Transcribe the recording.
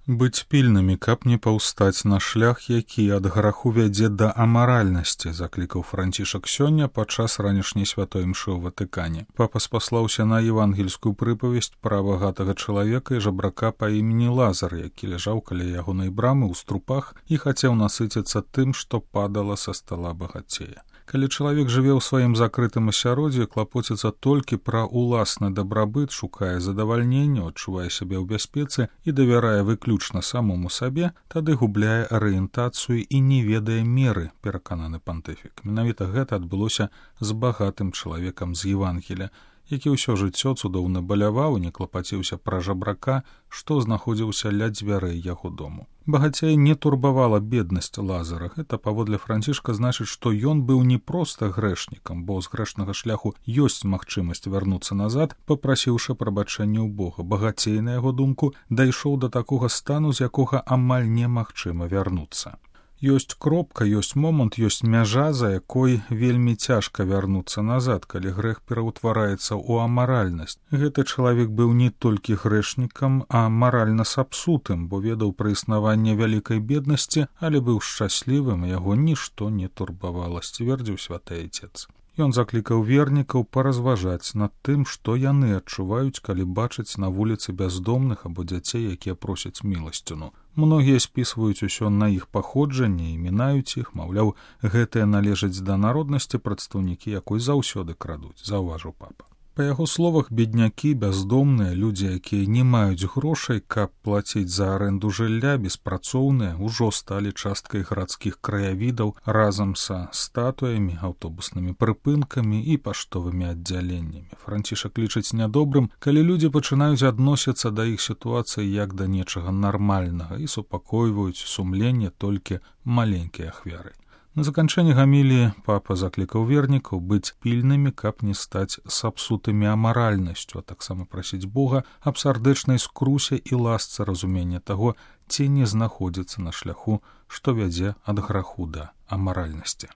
Быць пільнымі, каб не паўстаць на шлях, які ад граху вядзе да амаральнасці, заклікаў Францішак сёння падчас ранішняй святой імшы ў Ватыкане. Папа спаслаўся на евангельскую прыпавесць пра багатага чалавека і жабрака па імені Лазар, які ляжаў каля ягонай брамы ў струпах і хацеў насыціцца тым, што падала са стала багацея. Калі чалавек жыве ў сваім закрытым асяроддзі, клапоціцца толькі пра ўласны дабрабыт, шукае задавальнення, адчувае сябе ў бяспецы і давярае выключна самому сабе, тады губляе арыентацыю і не ведае меры, перакананы пантыфік. Менавіта гэта адбылося з багатым чалавекам з Евангелія, які ўсё жыццё цудоўна баляваў і не клапаціўся пра жабрака, што знаходзіўся ля дзвярэй яго дому. Багацея не турбавала беднасць Лазара. Гэта, паводле Францішка, значыць, што ён быў не проста грэшнікам, бо з грэшнага шляху ёсць магчымасць вярнуцца назад, папрасіўшы прабачэння ў Бога. Багацей, на яго думку, дайшоў да такога стану, з якога амаль немагчыма вярнуцца. Ёсць кропка, ёсць момант, ёсць мяжа, за якой вельмі цяжка вярнуцца назад, калі грэх пераўтвараецца ў амаральнасць. Гэты чалавек быў не толькі грэшнікам, а маральна сапсутым, бо ведаў пра існаванне вялікай беднасці, але быў шчаслівым, яго нішто не турбавала, сцвердзіў святы Айцец. Ён заклікаў вернікаў паразважаць над тым, што яны адчуваюць, калі бачаць на вуліцы бяздомных або дзяцей, якія просяць міласціну. Многія спісваюць усё на іх паходжанне і мінаюць іх, маўляў, гэтыя належаць да народнасці, прадстаўнікі якой заўсёды крадуць, заўважыў папа. Па яго словах, беднякі, бяздомныя, людзі, якія не маюць грошай, каб плаціць за арэнду жылля, беспрацоўныя, ужо сталі часткай гарадскіх краявідаў разам са статуямі, аўтобуснымі прыпынкамі і паштовымі аддзяленнямі. Францішак лічыць нядобрым, калі людзі пачынаюць адносіцца да іх сітуацыі як да нечага нармальнага і супакойваюць сумленне толькі маленькія ахвяры. На заканчэнне гаміліі папа заклікаў вернікаў быць пільнымі, каб не стаць сапсутымі амаральнасцю, а таксама прасіць Бога аб сардэчнай скрусе і ласцы разумення таго, ці не знаходзіцца на шляху, што вядзе ад граху да амаральнасці.